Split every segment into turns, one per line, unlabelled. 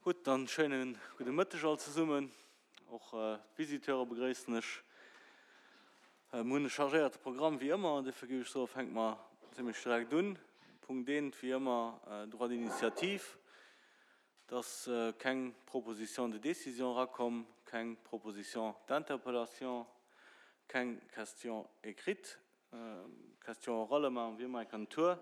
Gutt, dann schéine gudde Mëtteg all zesummen. Och d'Visiteure begréissen ech. Mir hunn e chargéierte Programm wéi ëmmer, duerfir géif ech soen, fänke mer zimmlech direkt un. Punkt eent, wéi ëmmer, Droit d'initiative. Et ass keng Proposition de décision erakomm, keng Proposition d'interpellation, keng Question écrite. Question orale maachen wéi ëmmer eng Kéier den Tour.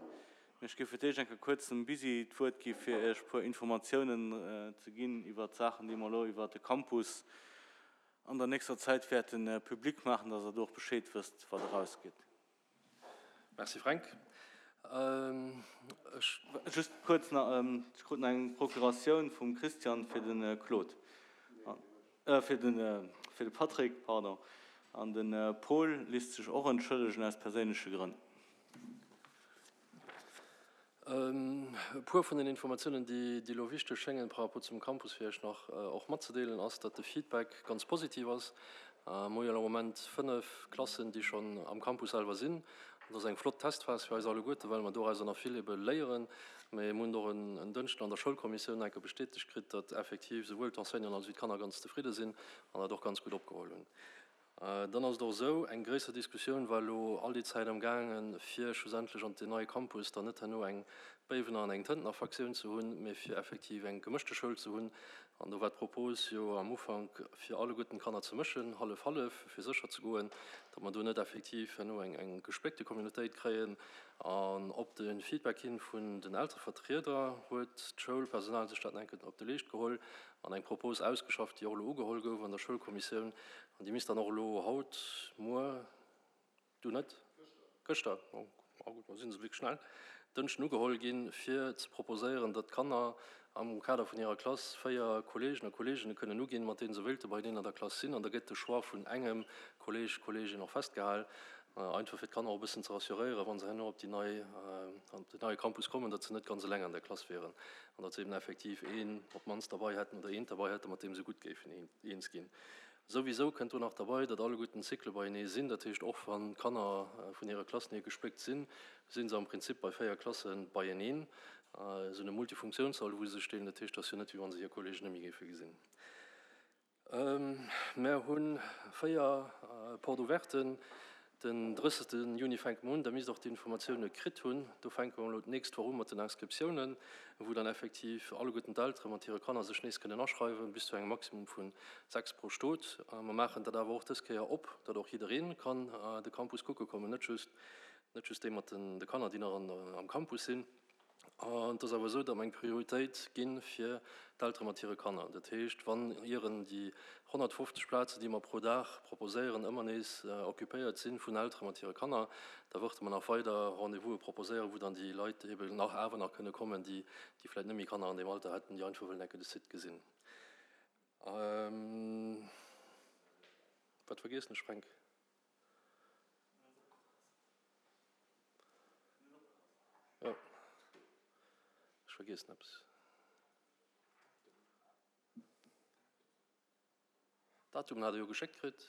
Mee ech géif fir d'éischt eng Kéier kuerz dem Bisi d'Wuert gi fir Iech e puer Informatiounen ze ginn iwwert d'Saachen, déi mer elo iwwert de Campus an der nächster Zäit wäerte public maachen, dass Der do och Bescheed wësst, wat erausgeet.
Merci Fränk.
Ech. Just kuerz nach, ech krut nach eng Procuratioun vum Christian fir de Claude. Fir de fir de Patrick, pardon. An de Paul lisst sech och entschëllegen aus perséinleche Grënn.
E puer vun den Informatiounen, déi déi elo wichteg schéngen par rapport zum Campus fir Iech nach och matzedeelen, ass, datt de Feedback ganz positiv ass. Mer hu jo elo am Moment 5 Klassen, déi schonn am Campus selwer sinn. Dat ass eng flott Testphas fir eis alleguerte, well mer dorauser nach vill ebe léieren. Mee mir hunn och en Dënschden an der Schoulkommissioun enke bestätegt kritt, datt effektiv souwuel d'Enseignanten als wéi d'Kanner ganz zefridde sinn an dat och ganz gutt opgeholl hunn. Dann ass et och esou, eng gréisser Diskussioun war elo all déi Zäit am gaangen, fir schlussendlech an deen neie Campus dann net herno eng Béiwener an eng Tëntener Fraktioun ze hunn, mee fir effektiv eng gemëschte Schoul ze hunn. An do war d'Propos jo am Ufank, fir alleguerten d'Kanner ze mëschen, hallef-hallef, fir sécher ze goen, datt mer do net effektiv herno eng gespléckte Communautéit kréien. An op de Feedback hin vun den Elterevertrieder huet d'Schoulpersonal sech dat nach eng Kéier op de Leescht geholl an eng Propos ausgeschafft, déi och elo ugeholl gouf an der Schoulkommissioun. An déi misst dann och elo haut, muer, du net? Gëschter, oh gutt, mer sinn esou wierklech schnell, Dënschden ugeholl ginn, fir ze proposéieren, datt d'Kanner am Kader vun hirer Klass 4 Kolleegen a Kolleeginne kënnen uginn, mat deene se wéilte beieneen an der Klass sinn. An da gëtt de Choix vun engem Kolleeg, Kolleegin och festgehal, einfach fir d'Kanner och e bëssen ze rassuréieren, wa se herno op déi nei, op den neie Campus kommen, datt se net ganz eleng an der Klass wieren an datt se eben effektiv een op d'mannst derbei hätten oder eent derbei hätten, mat deem se gutt géifen eens ginn. Souwisou kënnt do nach derbei, datt alleguerten d'Cycle beienee sinn. Dat heescht, och wann d'Kanner vun hire Klassen hier gespléckt sinn, si se am Prinzip bei 4 Klasse beieneen. Se hunn e Multifunktiounssall, wou se sech deelen. Dat heescht, et ass jo net, wéi wa se hir Kolleegen net méi géife gesinn. Mär hu 4 Porte-ouverten. Den 30. Juni fänke mer un, da misst Der och d'Informatioune kritt hunn. Do fänke mer elo d'nächst Woch u mat den Inscriptiounen, wou dann effektiv alleguerten d'Eltere mat hire Kanner sech nees kënnen aschreiwen, bis zu engem Maximum vu 6 pro Stot. Mer maachen dat awer och dës Kéier op, datt och jidderee kann de Campus kucke kommen, net just net just déi mat de Kanner, déi nach am Campus sinn. An et ass awer esou, datt mer eng Prioritéit gi fir d'Eltere mat hire Kanner. Dat heescht, wann ieren déi 150 Plazen, déi mer pro Dag proposéieren, ëmmer nees occupéiert si vun Eltere mat hire Kanner, da wërte mer nach weider Rendez-vouse proposéieren, wou dann déi Leit eeben nach awer nach kënne kommen, déi vläicht net méi Kanner an deem Alter hätten, déi einfach wëllen enke de Site gesinn. Wat vergiessen ech, Fränk? Jo, ech vergiessen eppes. Datumen hat Der jo geschéckt kritt.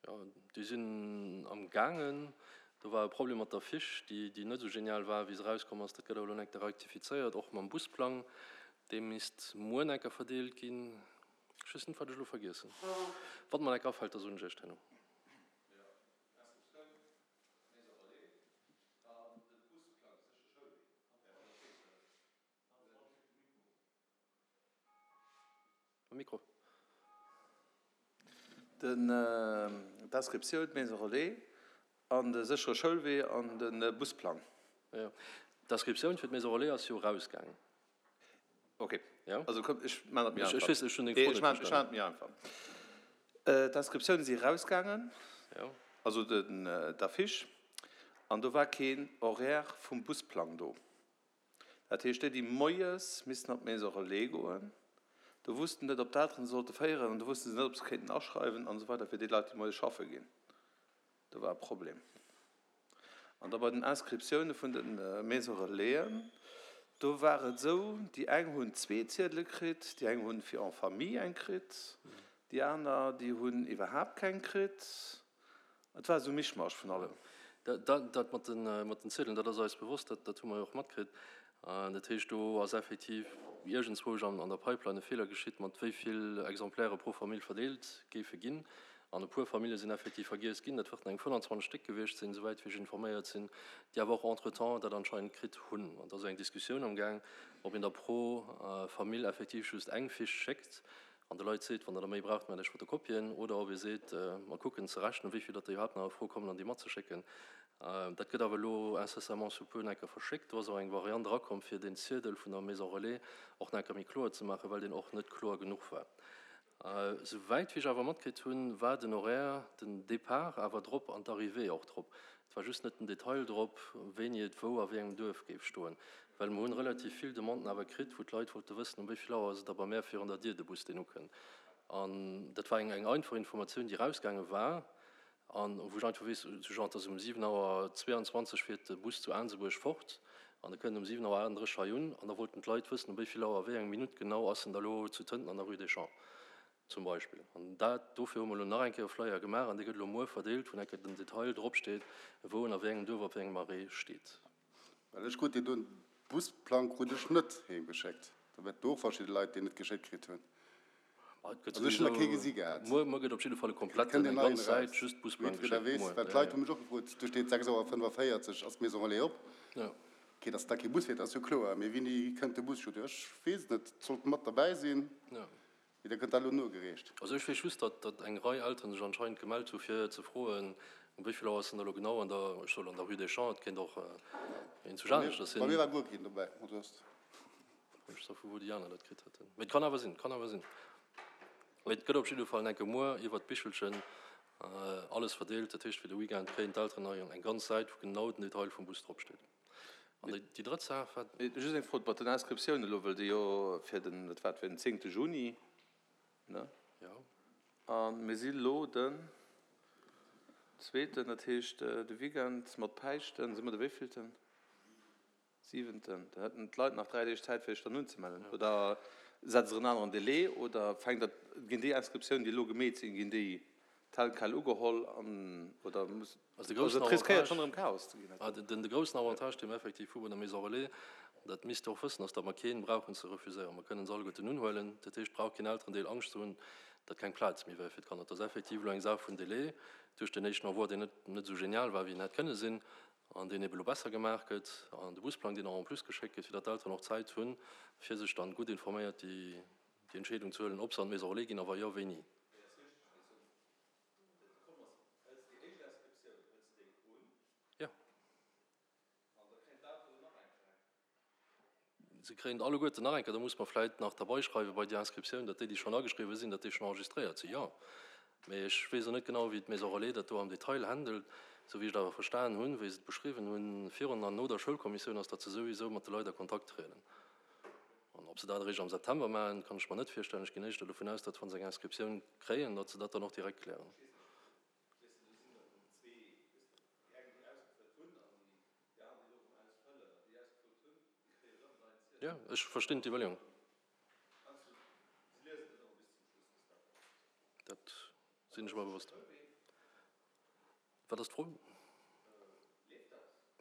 Jo, déi sinn am gaangen. Do war e Problem mat der Fiche, déi déi net esou genial war, wéi se erauskomm ass. Dat gëtt awer elo enk rektifizéiert, och mam Busplang. Dee misst muer enker verdeelt ginn. Ech weess net, wat ech elo vergiessen. Wann et mer enk afält, da soen ech Iech dat herno.
Mikro. D'Inscriptioun, d'Maison relais an de séchere Schoulwee an de Busplang.
Jo, d'Inscriptioun fir d'Maison relais ass jo erausgaangen.
Ok, also komm, ech maachen et méi einfach. Ech weess, ech hunn deng Fro net verstanen. Ech maachen et méi einfach. D'Inscriptiounen si erausgaangen, also d'Affiche, an do war keen Horaire vum Busplang do. Dat heescht, déi, déi moies missten op d'Maison relais goen, do wussten net, ob d'Elteren se sollte féieren an do wusste se net, ob se kéinten aschreiwen an esou weider fir déi Leit, déi moies schaffe ginn. Do war e Problem. An da bei den Inscriptioune vun de Maison relaisen, do war et esou, déi eng hunn zwee Ziedele kritt, déi eng hunn fir en famille eng kritt, déi aner, déi hunn iwwerhaapt keng kritt. Et war esou e Mischmasch vun allem.
Dat mat den Ziedelen, dat ass eis bewosst, dat hu mer jo och matkritt. Dat heescht, do ass effektiv iergendzwousch an der Pipeline e Feeler geschitt, mat wéi vill Exemplaire pro Famill verdeelt géife ginn. An e puer Famille sinn effektiv vergiess ginn. Dat wërten eng 25 Stéck gewiescht sinn, souwäit wéi ech informéiert sinn, déi awer och entretemps dat anscheinend kritt hunn. An et ass eng Diskussioun amgaang, ob een da pro Famill effektiv just eng Fiche schéckt an de Leit seet, wann der der méi braucht, maacht iech Fotokopien, oder ob ee seet, mer kucken ze rechnen, wéi vill datt der iwwerhaapt nach a Fro kommen an déi matzeschécken. Dat gëtt awer elo incessamment sous peu enker verschéckt. Do ass och eng Variant erakomm, fir deen Ziedel vun der Maison Relais och nach enker méi kloer ze maachen, well deen och net kloer genuch war. Souwäit wéi ech awer matkritt hunn, war den Horaire, den Départ awer drop an d'Arrivée och drop. Et war just net den Detail drop, wéini et wou a wéi engem Duerf géif stoen. Well mer hunn relativ vill Demanden awer kritt, wou d'Leit wollte wëssen, um wéi vill Auer ass et da bei mär virun der Dier de Bus, deen ukënnt. An dat war eng eng einfach Informatioun, déi erausgaange war an wou ech einfach weess, sou genre, et ass um 7 Auer 22 fiert de Bus zu Aansebuerg fort an e kënnt um 7 Auer 38 hei un. An da wollten d'Leit wëssen, um wéi vill Auer, wéi eng Minutt genau ass en da lo zu Tënten an der Rue des Champs. Zum Beispill. An dat, dofir hu mer elo nach eng Kéier e Flyer gemaach an dee gëtt elo muer verdeelt, wou enke den Detail dropsteet, wou en a wéi engem Duerf op wéi engem Arrêt steet.
Well ech krut deen doen Busplang krut ech net heem geschéckt. Da wäerten do och verschidde Leit deen net geschéckt kritt hunn.
Ma et gëtt Also ech hunn nach kee gesi gehat. Muer, muer gëtt op jidde Fall e kompletten, eng ganz Säit just Busplang
geschéckt. Weess, muer. Well d'Leit hu mech och gefrot, do steet 6 Auer 45 ass d'Maison Relais op. Jo. Okay, datt da kee Bus fiert ass jo kloer, mee wéini kënnt de Bus? Ech weess et net, et sollt mat derbäi sinn. Jo. Mee da gëtt dat elo nogereecht.
Also ech weess just, datt datt eng Rei Elteren sech anscheinend gemellt hu fir ze froen, um wéi vill Auer ass en da elo genau an der, ech soe lo an der Rue des Champs, et kéint och een zu aneschters
sinn. Bei mir war guer keen dobäi, also ass.
Ech weess net, vu wou déi aner dat kritt hätten. Mee et kann awer sinn, kann awer sinn. Mee et gëtt op jidde Fall enke muer iwwert d'Bichelchen alles verdeelt. Dat heescht, fir de Weekend kréien d'Elteren hei eng ganz Säit, wou genau den Detail vum Bus dropsteet. An déi drëtt Saach war.
Just eng Fro mat den Inscriptiounen elo, wëll déi jo fir den, wat war et, fir den zéngte Juni, ne?
Jo.
A mir si lo den zweeten, dat heescht de Weekend mat Päischten si mer de wéivillten? Siwenten. Da hätten d'Leit nach 3 Deeg Zäit fir sech dann unzemellen. Oder setzt Der en aneren Délai oder fänkt dat, ginn déi Inscriptiounen, déi elo gemeet sinn, ginn déi tel quel ugeholl an, oder muss.
Also de groussen Avantage, riskéiert schonn erëm Chaos ze ginn. De groussen Avantage, dee mer effektiv hu bei der Maison Relais, dat misst Der och wëssen, ass, datt mer kee brauchen ze refuséieren. Mer kënnen se alleguerten unhuelen. Dat heescht, et brauch keen Elterendeel Angscht ze hunn, datt keng Plaz méi wär fir d'Kanner. Et ass effektiv elo eng Saach vun Délai duerch den éischten Envoi, deen net net esou genial war, wéi en hätt kënne sinn, an deen ebe lo besser gemaach gëtt, an de Busplang, deen och en plus geschéckt gëtt, fir datt d'Elteren och Zäit hunn, fir sech dann gutt informéiert déi Entscheedung ze huelen, ob se an d'Maison Relais ginn a wa jo, wéini. Jo. Se kréien alleguerten nach eng Kéier, da muss mer vläicht nach derbaischreiwe bei déi Inscriptioun, datt déi, déi schonn ageschriwwen sinn, datt déi schonn enregistréiert sinn. Jo. Mee ech weess och net genau, wéi d'Maison Relais dat do am Detail handelt. Esou wéi ech et awer verstanen hunn, wéi se et beschriwwen hunn, virun an no der Schoulkommissioun, ass, datt se souwisou mat de Leit a Kontakt trieden. An ob se dat eréischt am September maachen, kann ech mer net virstellen. Ech ginn éischter dovun aus, datt, wa se eng Inscriptioun kréien, datt se dat dann och direkt klären. Jo, ech verstinn d'Iwwerleeung. Dat sinn ech mer bewosst. Wat ass d'Fro?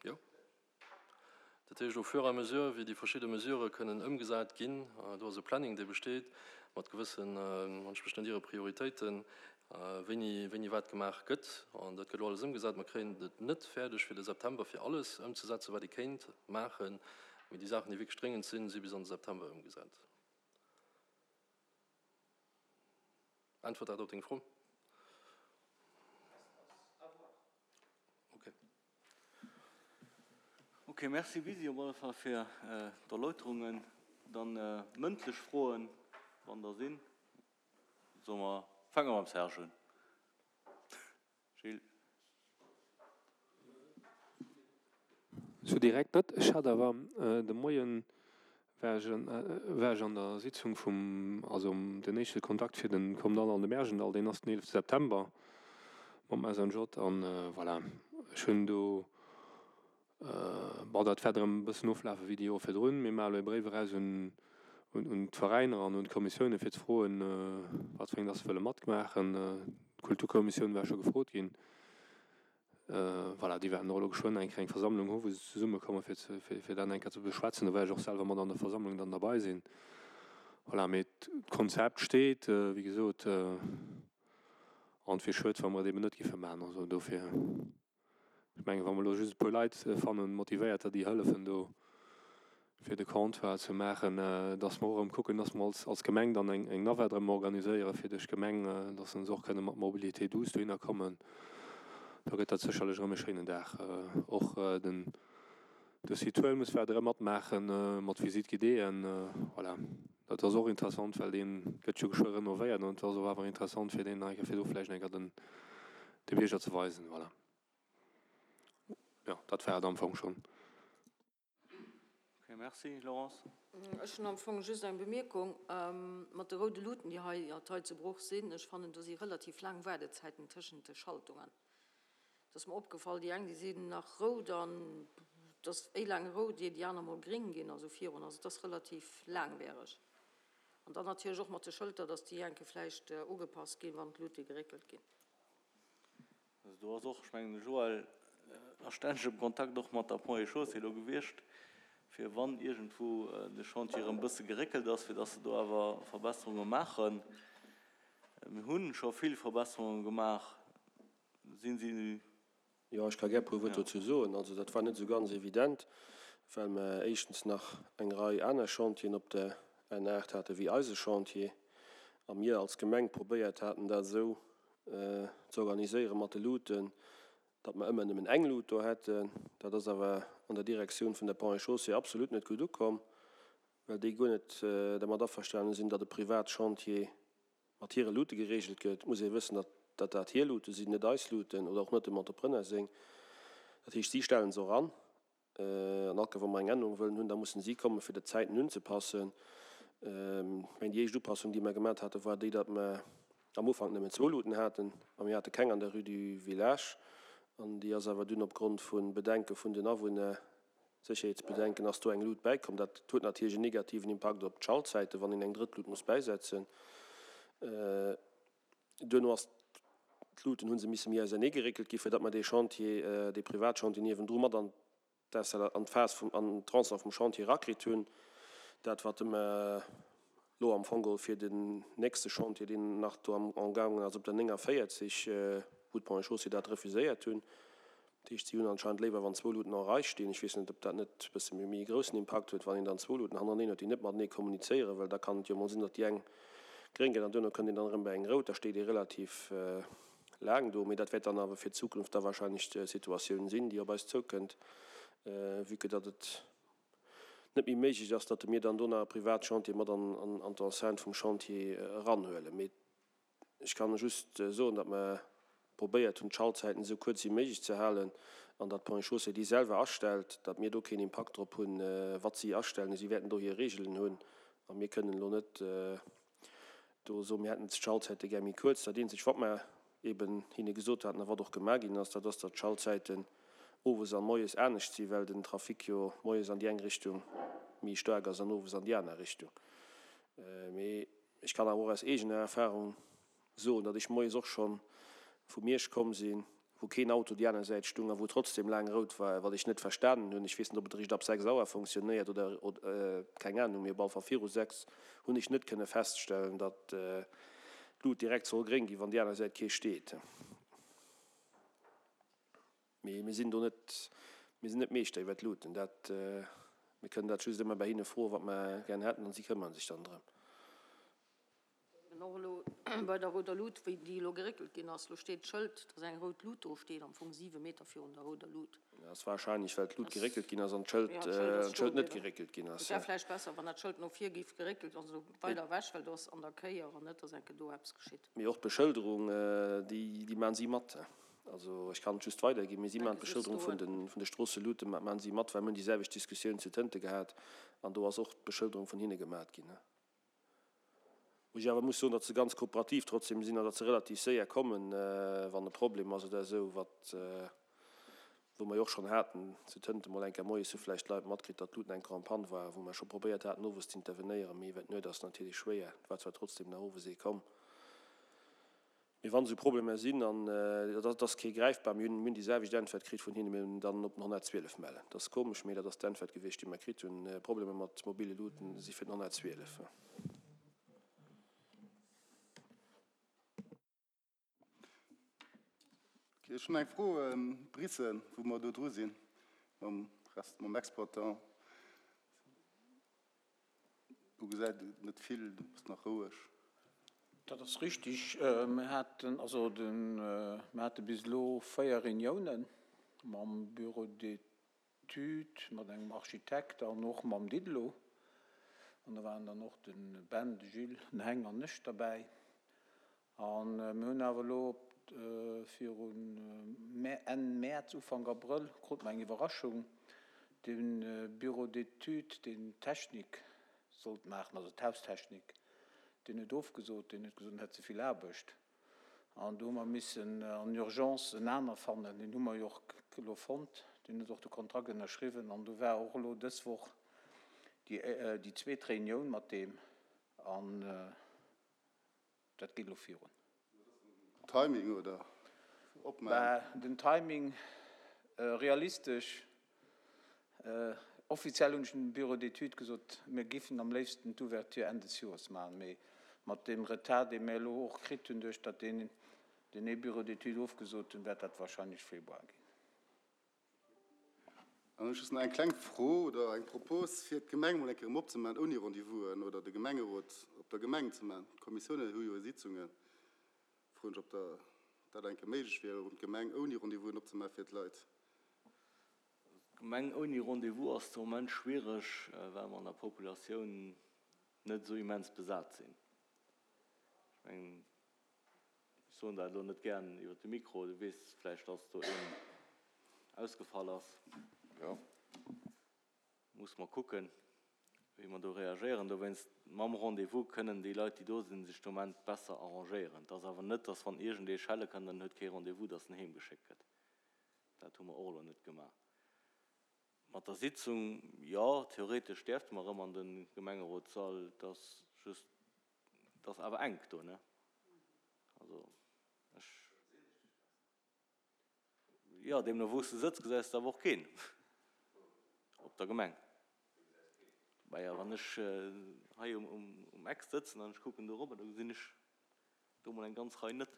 Jo. Dat heescht, au fur et à mesure, wéi déi verschidde Mesurë kënnen ëmgesat ginn, do ass e Planning, dee besteet, mat gewëssen, wann ech mech net iere, Prioritéiten, wéini, wéini wat gemaach gëtt. An dat gëtt elo alles ëmgesat. Mer kréien et net fäerdeg, fir de September fir alles ëmzesetzen, wat ee kéint maachen. Mee déi Saachen, déi wierklech dréngend sinn, si bis an de September ëmgesat. Äntwert dat op deng Fro?
Okay. Ok, merci Bisi op alle Fall fir d'Erläuterungen. Dann mëndlech Froen, wann der sinn. Soe mer, fänke mer mam Serge un. Gilles.
Sou direkt net. Ech hat awer de Moien war ech war ech an der Sitzung vum, also den éischte Kontakt fir den Kommt all an de Märjendall, deen ass den 11 September mam SNJ an voilà, ech hunn do, bon dat wäert erëm e bëssen oflafe wéi déi Joer virdrun. Mir maache elo e Bréif eraus un un d'Veräiner an un d'Kommissioune fir ze froen, wat fir eng dass se wëlle matmaachen. D'Kulturkommissioun war scho gefrot ginn. Voilà, déi wäerten och elo geschwënn eng Kéier eng Versammlung hu wou se zesummekomme fir ze, fir dat eng Kéier ze beschwätzen. Do wäert ech och selwer mat an der Versammlung dann derbei sinn. Voilà, mee d'Konzept steet, wéi gesot, an et wier schued, wa mer et eben net géife maachen. Also dofir, ech mengen, wa mer elo just e puer Leit fannen, Motivéierter, déi hëllefen do fir de Comptoir ze maachen, dass mer och erëm kucken, dass mer als, als Gemeng dann eng, eng Navette erëm organiséiere fir duerch d'Gemeng, dass se och kënne mat Mobilité douce dohinner kommen. Da gëtt dat sécherlech erëm e schéinen Dag. Och den, de Site Huelmes wäert erëm matmaachen mat Visite guidéeën. Voilà, dat ass och interessant, well dee gëtt jo geschwë renovéiert an et ass och awer interessant fir deen nach eng Kéier, fir do vläicht eng Kéier den, de Bierger ze weisen. Voilà, jo, dat war et am Fong schonn.
Ok, merci. Laurence?
Ech hunn am Fong just eng Bemierkung. Mat de roude Luuten, déi hei hei zu Bruch sinn, ech fannen, do si relativ laang Waardezäiten tëschent de Schaltungen. Et ass mer opgefall, déi eng, déi sinn nach rout an et ass éi laang rout, ier déi aner mol gréng ginn, also virun. Also et ass relativ laangwiereg. An dann natierlech och mat de Schëlter, dass déi enke vläicht ugepasst ginn, wann d'Luute geréckelt ginn.
Also do ass och, ech mengen de Joël ass stänneg am Kontakt och mat der Ponts et Chaussées elo gewiescht, fir wann iergendwou de Chantier erëm e bësse geréckelt ass, fir dass se do awer Verbesserunge maachen. Mir hu scho vill Verbesserunge gemaach. Sinn si.
Jo, ech ka gär e puer Wuert dozou soen. Also dat war net esou ganz evident, well mer éischtens nach eng Rei aner Chantieren op der N8 hate wéi eise Chantier a mir als Gemeng probéiert haten, dat esou ze organiséiere mat de Luuten, datt mer ëmmer nëmmen eng Lut do hätten. Dat ass awer an der Direktioun vun der Ponts et Chaussées absolut net gutt ukomm, well déi guer net dermat averstanen sinn, datt e Privatchantier mat hire Luute geregelt gëtt. Et muss ee wëssen, datt dat dat hir Luute sinn, net eis Luuten oder och net dem Entrepreneur seng. Dat heescht, si stellen se och an. An all Cas, wa mer eng Ännerung wëllen hunn, da mussen si kommen, fir de Zäiten unzepassen. Ech mengen, déi éischt Upassung, déi mer gemat haten, war déi, datt mer am Ufank nëmmen zwou Luuten haten a mir hate keng an der Rue du Village. An déi ass awer dunn opgrond vu Bedenke vun den Awunner, Sécherheetsbedenken, ass do eng Lut bäikomm. Dat huet natierlech en negativen Impakt op d'Schaltzäiten, wann een eng drëtt Lut muss bäisetzen. Duerno ass d'Luuten hu se misse méi ausernee geréckelt gi fir datt mer dee Chantier, dee Privatchantier niewendru mat an d'Installa-, an d'Phas vum, an d'Tronçon vum Chantier erakritt hunn. Dat wat mer elo am Fong geholl fir den nächste Chantier, deen nach do am amgaangen ass op der 49, wou d'Ponts et Chaussées dat refuséiert hunn, Dat heescht, si hunn anscheinend léiwer, wann zwou Luuten en Rei stinn. Ech weess net, ob dat net e bësse méi e groussen Impakt huet, wann een dann zwou Luuten hannereneen huet, déi net matenee kommunizéieren, well da kann et jo emol sinn, datt déi eng gréng gëtt an duerno kënnt een dann erëm bei eng rout. Da steet ee relativ laang do. Mee dat wäert dann awer fir d'Zukunft da wahrscheinlech d'Situatioun sinn, déi op eis zoukënnt, vue que datt et net méi méiglech ass, datt mir dann do nach e Privatchantier mat an d'Enceinte vum Chantier eranhuelen. Mee Ech kann just soen, datt mer probéiert hunn, d'Schaltzäiten esou kuerz wéi méiglech ze halen an datt d'Ponts et Chaussées déi selwer astellt, datt mir do keen Impakt drop hunn, wat si astellen. Si wäerten do hir Regeln hunn a mir kënnen elo net do soen, mir hätten d'Schaltzäite gär méi kuerz. Dat eenzegt, wat mer eeben hinne gesot haten a wat och gemaach ginn ass, dat ass, datt d'Schaltzäiten owes a moies anescht sinn, well den Trafic jo moies an déi eng Richtung méi staark ass an owes an déi aner Richtung. Mee Ech kann awer och aus eegener Erfahrung soen, datt ech moies och scho vu Miersch komm sinn, wou keen Auto déi aner Säit stung a wou trotzdem laang rout war, wat ech net verstanen hunn. Ech weess net, ob et eréischt ab 6 Auer fonctionnéiert oder keng Ahnung, mee op alle Fall viru 6 hunn ech net kënne feststellen, datt d'Lut direkt soll gréng ginn, wann déi aner Säit kee steet. Mee mir sinn do net, mir sinn net Meeschter iwwer d'Luuten. Dat, mir kënnen dat just ëmmer bei hinne froen, wat mer gären hätten, an si këmmere sech dann drëm.
Eben och elo bei der rouder Lut, wéi déi elo geréckelt ginn ass, elo steet d'Schëld, dass eng rout Lut do steet, am Fong siwe Meter virun der rouder Lut.
Dat ass wahrscheinlech, well d'Lut geréckelt ginn ass an d'Schëld, d'Schëld net geréckelt ginn ass.
Et wär vläicht besser, wann dat Schëld no vir géif geréckelt, also weider ewech, well do ass an der Kéier an net, dass enke do eppes geschitt.
Mee och d'Beschëlderung, déi, déi maachen si mat. Also ech kann et just weiderginn, mee si maachen d'Beschëlderung vun de vun de Stroosseluten maachen si mat, well mir hunn déi selwecht Diskussioun zu Tënte gehat an do ass och d'Beschëlderung vun hinne gemat ginn. Wou ech awer muss soen, datt se ganz kooperativ trotzdem sinn an datt se relativ séier kommen, wann e Problem ass oder esou, wat wou mer jo och schonn haten zu Tënte mol eng Kéier moies hu vläicht d'Leit matkritt, datt d'Luten eng Kéier en panne war, wou mer scho probéiert haten owes z'intervenéieren, mee iwwer d'Nuet ass natierlech schwéier. Et war zwar trotzdem nach owes ee komm. Mee wann esou Problemer sinn, an dat ass kee gräifbar, mir hunn déi selwecht Äntwert kritt vun hinnen, mir hunn dann op den 112 mellen. Dat ass komesch, mee dat ass d'Äntwert gewiescht, déi mer kritt hunn, Problemer mat mobile Luuten si fir den 112.
Ech hunn eng Fro, Bréissel, wou mer do dru sinn mam Rest, mam Exploitant. Do gesäit et net vill, do ass nach roueg.
Dat ass richtig. Mir haten also de, mir hate bis elo 4 Reuniounen mam Bureau d'études, mat engem Architekt an och mam Didelot. An do waren dann och de Ben, de Gilles, den Heng an ech derbäi. A mir hunn awer elo virun Enn Mäerz, Ufank Abrëll krute mer eng Iwwerraschung, De Bureau d'études, deen d'Technik sollt maachen, also d'Haustechnik, deen huet ofgesot, deen huet gesot, en hätt ze vill Aarbecht. An do hu mer missen en urgence en aner fannen. Deen hu mer jo och elo fonnt, deen huet och de Kontrakt ënnerschriwwen. An do war och elo dës Woch déi zweet Reunioun mat deem. An Dat geet elo virun.
Timing oder
opmaachen? Bah, den Timing, realistesch, offiziell hunn ech dem Bureau d'études gesot, mir giffen am léifsten d'Ouverture Enn des Joers maachen, mee mat deem Retard, dee mir elo och kritt hunn, duerch datt deen ee Bureau d'études ofgesot hunn, wäert dat wahrscheinlech Februar ginn.
An ech just nach eng kleng Fro oder eng Propos, fir d'Gemeng emol eng Kéier erëm opzemaachen ouni Rendez-vousen oder de Gemengerot op der Gemeng ze maachen. D'Kommissiounen hu jo hir Sitzungen. Froen ech, ob da dat eng Kéier méiglech wier, erëm d'Gemeng ouni Rendez-vousen opzemaachen fir d'Leit.
D'Gemeng ouni Rendez-vous ass de Moment schwiereg, well mer an der Populatioun net esou immens besat sinn. Ech mengen, Ech soen dat elo net gären iwwer de Mikro. Du weess vläicht, dass do een ausgefall ass.
Jo.
Musse mer kucken, wéi mer do reagéieren. Dowéinst, mam Rendez-vous kënnen déi Leit, déi do sinn, sech de Moment besser arrangéieren. Et ass awer net, dass wann iergendee schelle kënnt an en huet kee Rendez-vous, dass en heemgeschéckt gëtt. Dat hu mer och elo net gemaach. Mat der Sitzung, jo, theoretesch däerfte mer erëm an de Gemengerotssall. Et ass just Et ass awer enk do, ne? Also ech. Jo, deemno wou s de sëtz, gesäis de awer och keen op der Gemeng. Maja, wann ech hei um Eck sëtzen an ech kucken do erop, da gesinn ech do mol eng ganz Rei net.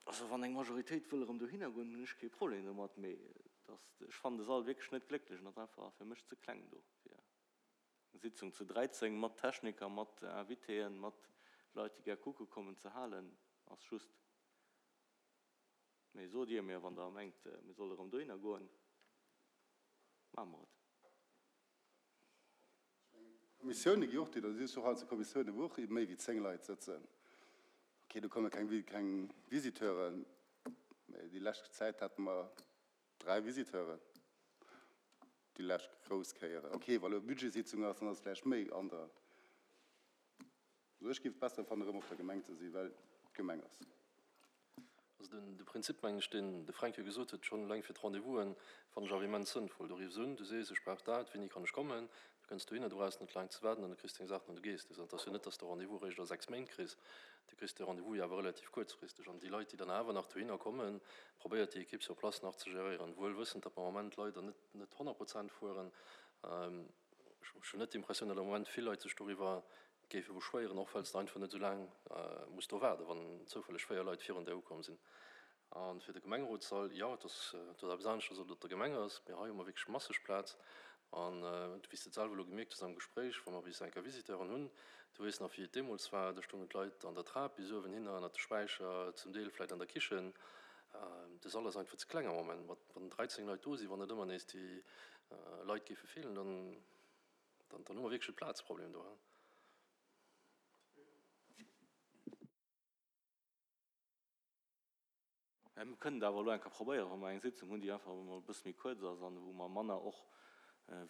Also wann eng Majoritéit wëll erëm dohinner goen, hunn ech kee Problem domat, mee ech fannen de Sall wierklech net glécklech an ass einfach fir mech ze kleng do fir eng Sitzung zu 13 mat Techniker, mat Invitéen, mat Leit déi gär kucke kommen ze halen, ass just. Mee sot Dir mir, wann Der mengt mir solle erëm dohinner goen, maache mer et.
Kommissioune gi och, déi da si och heiansdo Kommissioune wou och méi wéi 10 Leit sëtzen. Ok, do komme keng keng Visiteuren, mä déi lescht Zäit hate mer 3 Visiteuren, déi lescht grouss Kéieren. Ok, wa lo Budgetsitzung ass, dann ass et vläicht méi anerer. Also ech géif et besser fannen, erëm op der Gemeng ze sinn, well et d'Gemeng ass.
Also den de Prinzip, mengen ech, deen de Fränk jo gesot huet, schonn eleng fir d'Rendez-vousen, fannen ech awer immens sënnvoll. Du riffs un, du sees, ech brauch dat, wéini kann ech kommen? Du kënns dohinner, du brauchs net laang ze waarden an du kriss deng Saachen an du gees. Et ass jo net, dass de Rendez-vous eréischt a 6 Méint kriss, du kriss de Rendez-vous jo awer relativ kuerzfristeg. An déi Leit, déi dann awer nach dohinner kommen, probéiert déi Equipe sur place nach ze geréieren, wuel wëssend, datt mer am Moment leider net net 100 Prozent fueren. Ech hunn net d'Impressioun, datt am Moment vill Leit sech doriwwer géife beschwéieren, och well s de einfach net esou laang muss do waarden, wann zoufälleg 4 Leit virun där ukomm sinn. A fir de Gemengerotssall, jo, et ass et ass eppes aneschters, ob et op der Gemeng ass, mee hei hu mer wierklech masseg Plaz. An wéi s de et selwer elo gemierkt hues am Gespréich, wa mer bis eng Kéier Visiteuren hunn, du weess nach, wéi et deemools war, do stoungen d'Leit an der Trap bis uewen hinner, ënnert de Späicher, zum Deel vläicht an der Kichen. De Sall ass einfach ze kleng am Moment. Wann 13 Leit do sinn, wann net ëmmer nees déi Leit géife feelen, dann Dann hu mer wierklech e Plazproblem do.
Mä mir kënnen et awer elo eng Kéier probéieren, wa mer eng Sitzung hunn, déi einfach emol e bësse méi kuerz ass an wou mer manner och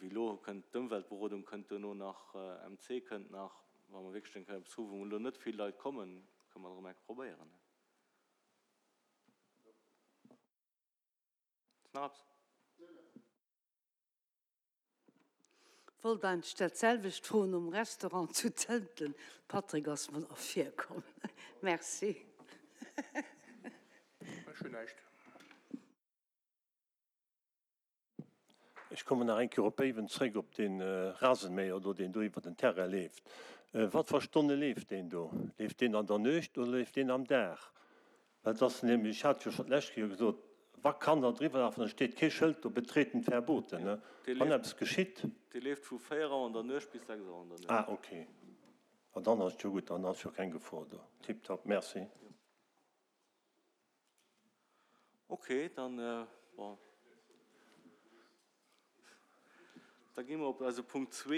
wéi elo kënnt d'Ëmweltberodung kënnt duerno nach, MC kënnt nach. Wa mer wierklech eng Kéier eppes hu wou elo net vill Leit kommen, kënne mer et erëm eng Kéier probéieren. Ass nach eppes?
Wollt eigentlech dat selwecht froen nom Restaurant zu Zënten. Patrick ass mer ervirkomm. Merci.
Ech hunn näischt.
Ech kommen nach eng Kéier op Béiwen zréck, op dee Rasenmäher do, deen do iwwer den Terrain leeft. Wat fir Stonne leeft deen do? Leeft deen an der Nuecht oder leeft deen am Dag? Well et ass nämlech, ech hat et jo schonn d'lescht Kéier gesot, wa Kanner driwwer lafen, da steet kee Schëld do, Betreten verboten, ne? Wann eppes geschitt.
Dee leeft vu 4 Auer an der Nuecht bis 6 Auer an der Nuecht.
Ah, okay. Ma dann ass et jo gutt, dann ass jo keng Gefor do. Tiptop, merci.
Ok, dann, bon, da gi mer op eise Punkt zwee.